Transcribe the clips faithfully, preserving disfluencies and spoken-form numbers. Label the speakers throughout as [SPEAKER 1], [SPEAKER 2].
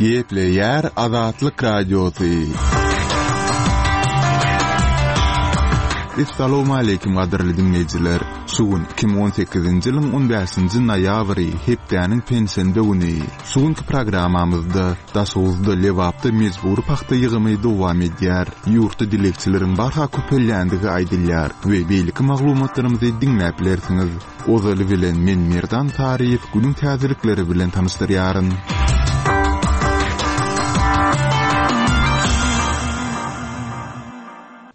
[SPEAKER 1] Gepleýär Azatlyk Radiosy. Essalawmaleýkim gadyrly diňleýjiler! Şu gün iki müň on sekizinji ýylyň on bäşinji noýabry, hepdäniň penşenbe güni. Şu günki programmamyzda Daşoguzda, Lebapda mejbury pagta ýygymy dowam edýär. Ýurtda dilegçileriň barha köpelýändigi aýdylýar we beýleki maglumatlarymyzy diňläp bilersiňiz. Ozaly bilen men Merdan Saryýew günüň täzelikleri bilen tanyşdyrýaryn.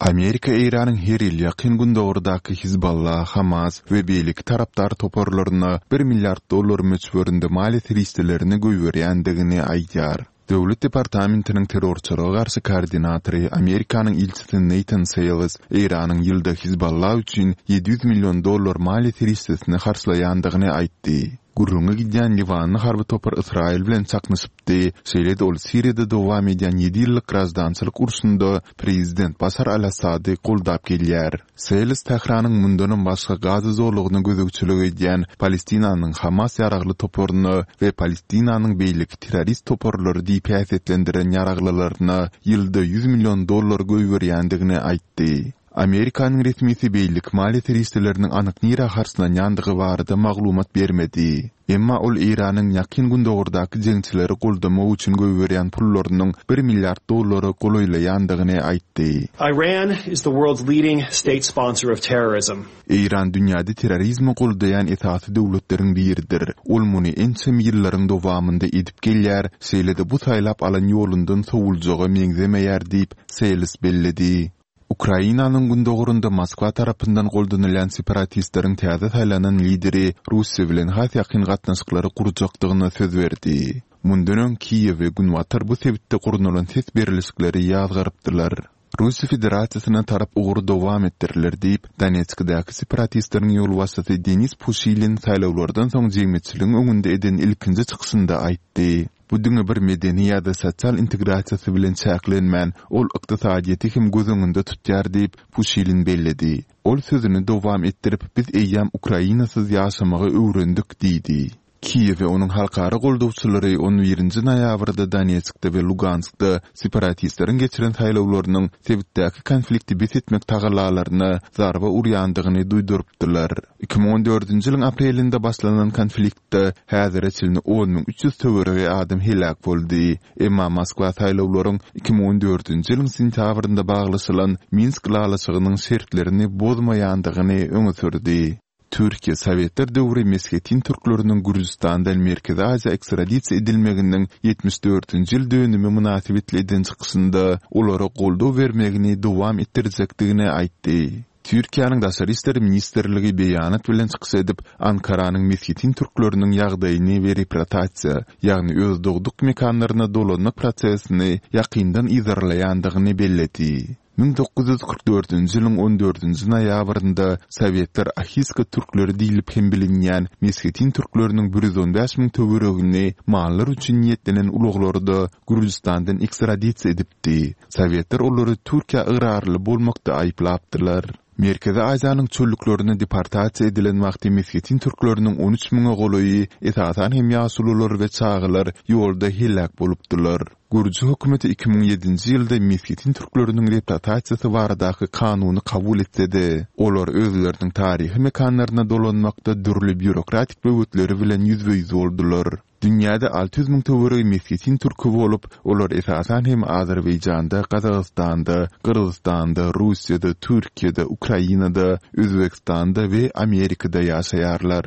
[SPEAKER 1] Amerika Eýranyň her ýyl Ýakyn Gündogardaky Hizballah, Hamas we beýleki tarapdar toparlaryna bir milliard dollar möçberinde maliýe serişdelerini goýberýändigini aýdýar. Döwlet departamentiniň terrorçylyga garşy koordinatory, Amerikanyň ilçisi Neýtan Seýles Eýranyň ýylda Hizballah üçin ýedi ýüz million dollar maliýe serişdesini harçlaýandygyny aýtdy. Gürrüňi gidýän liwanly harby topar Ysraýyl bilen çaknyşypdy, şeýle-de ol Siriýada dowam edýän ýedi ýyllyk graždançylyk urşunda prezident Başar al-Assady goldap gelýär. Seles Tähranyň mundanam başga Gaza zolagyna gözegçilik edýän Palestinanyň Hamas ýaragly toparyna we Palestinanyň beýleki terrorist toparlary diýip häsiýetlendiren ýaraglylaryna ýylda ýüz million dollar goýberýändigini aýtdy. Amerikanyň resmisi beýleki maliýe serişdeleriniň anyk nirä harçlanýandygy barada maglumat bermedi. Emma ol Eýranyň Ýakyn Gündogardaky jeňçileri goldamak üçin goýberýän pullarynyň bir milliard dollara golaýlaýandygyny aýtdy.
[SPEAKER 2] Iran is the world's leading state sponsor of terrorism.
[SPEAKER 1] Eýran dünýäde terrorizmi goldaýan esasy döwletleriň biridir. Ol muny ençeme ýyllaryň dowamynda edip gelýär, şeýle-de bu saýlap alan ýolundan sowuljaga meňzemeýär diýip, Seýles belledi. Ukrainanyň gündogarynda Moskwa tarapyndan goldanylýan separatistleriň täze saýlanan lideri Russiýa bilen has ýakyn gatnaşyklary gurjakdygyna söz berdi. Mundan öň Kiýew we Günbatar bu sebitde gurnalan ses berlişikleri ýazgarypdylar. Russiýa Federasiýasyna tarap ugur dowam etdiriler diýip, Donetskdäki separatistleriň ýolbaşçysy Denis Puşilin saýlawlardan soň jemgyýetçiligiň öňünde eden ilkinji çykyşynda aýtdy. Bu diňe bir medeni ýa-da sosial integrasiýasy bilen çäklenmän, ol ykdysadyýeti hem göz öňünde tutýar diýip, Puşilin belledi. Ol sözüni dowam etdirip, biz eýýäm Ukrainasyz ýaşamagy öwrendik diýdi. Kiýew we onuň halkara goldawçylary on birinji noýabrda Donetskde we Luganskda separatistleriň geçiren saýlawlarynyň sebitdäki konflikti bes etmek tagallalaryna zarba urýandygyny duýdurypdylar. Iki müň on dördünji ýylyň aprelinde başlanan konfliktde häzire çenli on müň üç ýüz töweregi adam heläk boldy. Emma Moskwa saýlawlaryň iki müň on dördünji ýylyň sentýabrynda baglaşylan Minsk ylalaşygynyň şertlerini bozmaýandygyny öňe sürdi. Türkiýe Sowetler döwri meshetin türkleriniň Gürjüstandan Merkezi Aziýa ekstradisiýa edilmeginiň ýetmiş dördünji ýyl dönümi mynasybetli eden çykyşynda olara goldaw bermegini dowam etdirjekdigini aýtdy. Türkiýäniň Daşary işler ministrligi beýanat bilen çykyş edip, Ankaranyň meshetin türkleriniň ýagdaýyny we reprotasiýa, ýagny öz dogduk mekanlaryna dolanmak prosesini ýakyndan yzarlaýandygyny belledi. Müň dokuz ýüz kyrk dördünji ýylyň on dördünji noýabrynda sowetler ahiska türkleri diýlip hem bilinýän meshetin türkleriniň bir ýüz on bäş müň töweregini mallar üçin niýetlenen ulaglarda Gürjüstandan ekstradisiýa edipdi. Sowetler olary Türkiýä ygrarly bolmakda aýyplapdylar. Merkezi Aziýanyň çöllüklerine deportasiýa edilen wagty meshetin türkleriniň on üç müňe golaýy, esasan hem ýaşulular we çagalar ýolda heläk bolupdylar. Gürji hökümeti iki müň ýedinji ýylda meshetin türkleriniň reprotasiýasy baradaky kanuny kabul etse-de, olar özleriniň taryhy mekanlaryna dolanmakda dürli býurokratik böwetleri bilen ýüzbe-ýüz boldular. Dünýäde alty ýüz müň töweregi meshetin türki bolup, olar esasan hem Azerbaýjanda, Gazagystanda, Gyrgyzystanda, Russiýada, Türkiýede, Ukrainada, Özbegistanda we Amerikada ýaşaýarlar.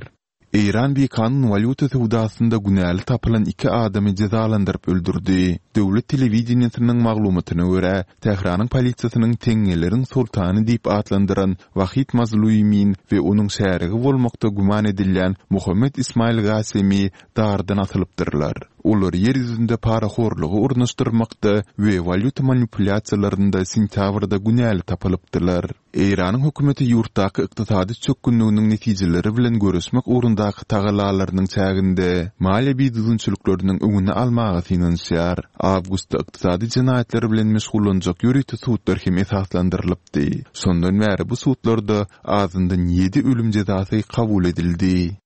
[SPEAKER 1] Eýran bikanun walýuta söwdasynda günäli tapylan iki adamy jezalandyryp öldürdi. Döwlet telewideniýesiniň maglumatyna görä, Tähranyň polisiýasynyň teňňeleriň soltany diýip atlandyran Wahid Mazluimin we onuň şärigi bolmakda güman edilýän Muhammet Ismail Gasemi dardan asylypdyrlar. Olar ýer ýüzünde parahorlugy ornaşdyrmakda we walýuta manipulýasiýalarynda sentýabrda günäli tapylypdylar. Eýranyň hökümeti ýurtdaky ykdysady çökgünliginiň netijeleri bilen göreşmek ugrundaky tagallalarynyň çäginde maliýe bidüzgünçilikleriniň öňüni almaga synanyşýar. Awgustda ykdysady jenaýatlar bilen meşgullanjak ýörite sudlar hem esaslandyrylypdy. Şondan bäri bu sudlarda azyndan ýedi ölüm jezasy kabul edildi.